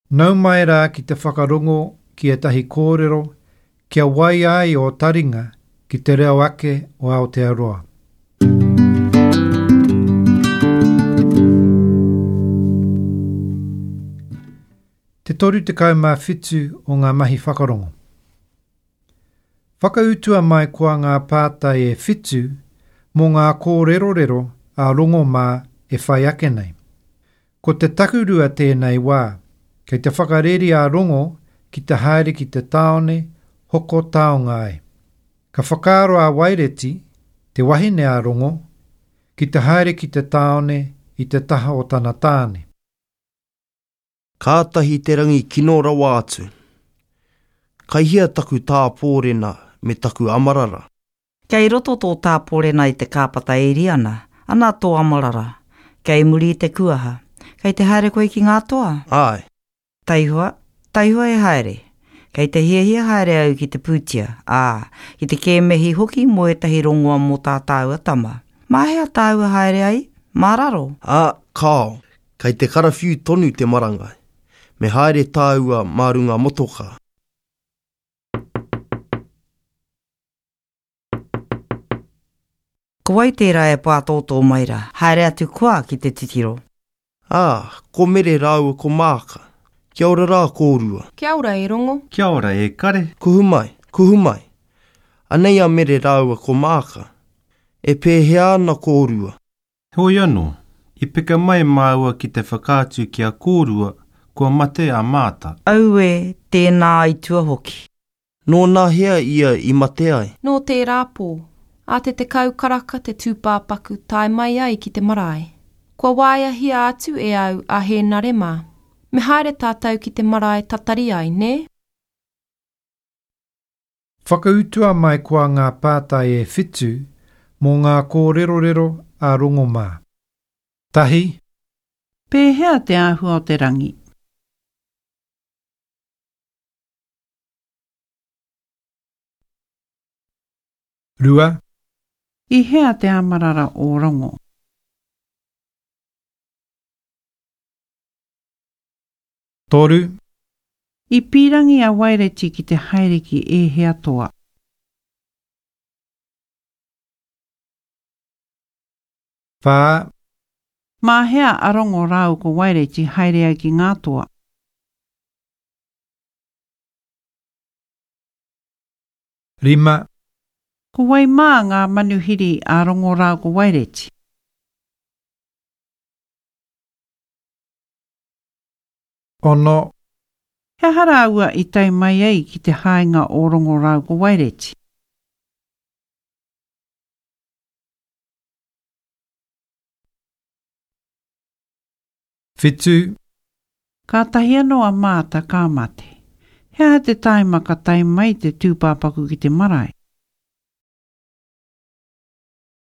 Nau mai rā ki te whakarongo ki ētahi kōrero kia waia ai ō taringa ki te reo ake o Aotearoa. Te 37 o ngā mahi whakarongo. Whakautua mai koa ngā pātai e whitu mō ngā kōrerorero a Rongo mā e whai ake nei. Ko te takurua tēnei wā, kei te whakareri a Rongo ki te haere ki te tāone hoko taonga ai. Ka whakaaro a Waireti, te wahine a Rongo, ki te haere ki te tāone i te taha o tana tāne. Kātahi te rangi kino rawa atu. Kai hea taku tāpōrena me taku amarara? Kei roto tō tāporena i te kāpata e iri ana, ana tō amarara. Kei muri i te kuaha. Kei te haere koe ki ngā toa? Āe. Taihoa, taihoa e haere. Kei te hiahia haere au ki te pūtia, ā, ki te kēmehi hoki mō ētahi rongoa mō tā tāua tama. Mā hea tāua haere ai? Mā raro? Ā, kāo. Kei te karawhiu tonu te marangai. Me haere tāua mā runga motokā. Ko wai tērā e pātōtō mai rā? Haere atu koa ki te titiro. Ā, ko Mere rāua ko Māka. Kia ora rā kōrua. Kia ora e Rongo. Kia ora e Kare. Kuhu mai, kuhu mai. Anei a Mere rāua ko Māka. E pēhea ana kōrua? Heoi anō, i peka mai māua ki te whakaatu ki a kōrua kua mate a Māta. Aue, tēnā aitua hoki. Nōnahea ia i mate ai? Nō tērā pō, ā te 10 karaka te tūpāpaku tae mai ai ki te marae. Kua waeahia atu e au a Hēnare mā. Me haere tātou ki te marae tatari ai, nē? Whakautua mai koa ngā pātai e whitu mō ngā kōrerorero a Rongo mā. Tahi. Pēhea te āhua o te rangi? Rua. I hea te amarara o Rongo? Toru. I pīrangi a Waireti ki te haere ki ēhea toa? Whā. Mā hea a Rongo rāua ko Waireti haere ai ki ngā toa? 5. Ko wai mā ngā manuhiri a Rongo rā ko Waireti? 6. He aha rāua i tae mai ai ki te haenga o Rongo rā ko Waireti? 7. Kātahi anō a Māta ka mate. He aha te tāima ka tae mai te tūpāpaku ki te marae?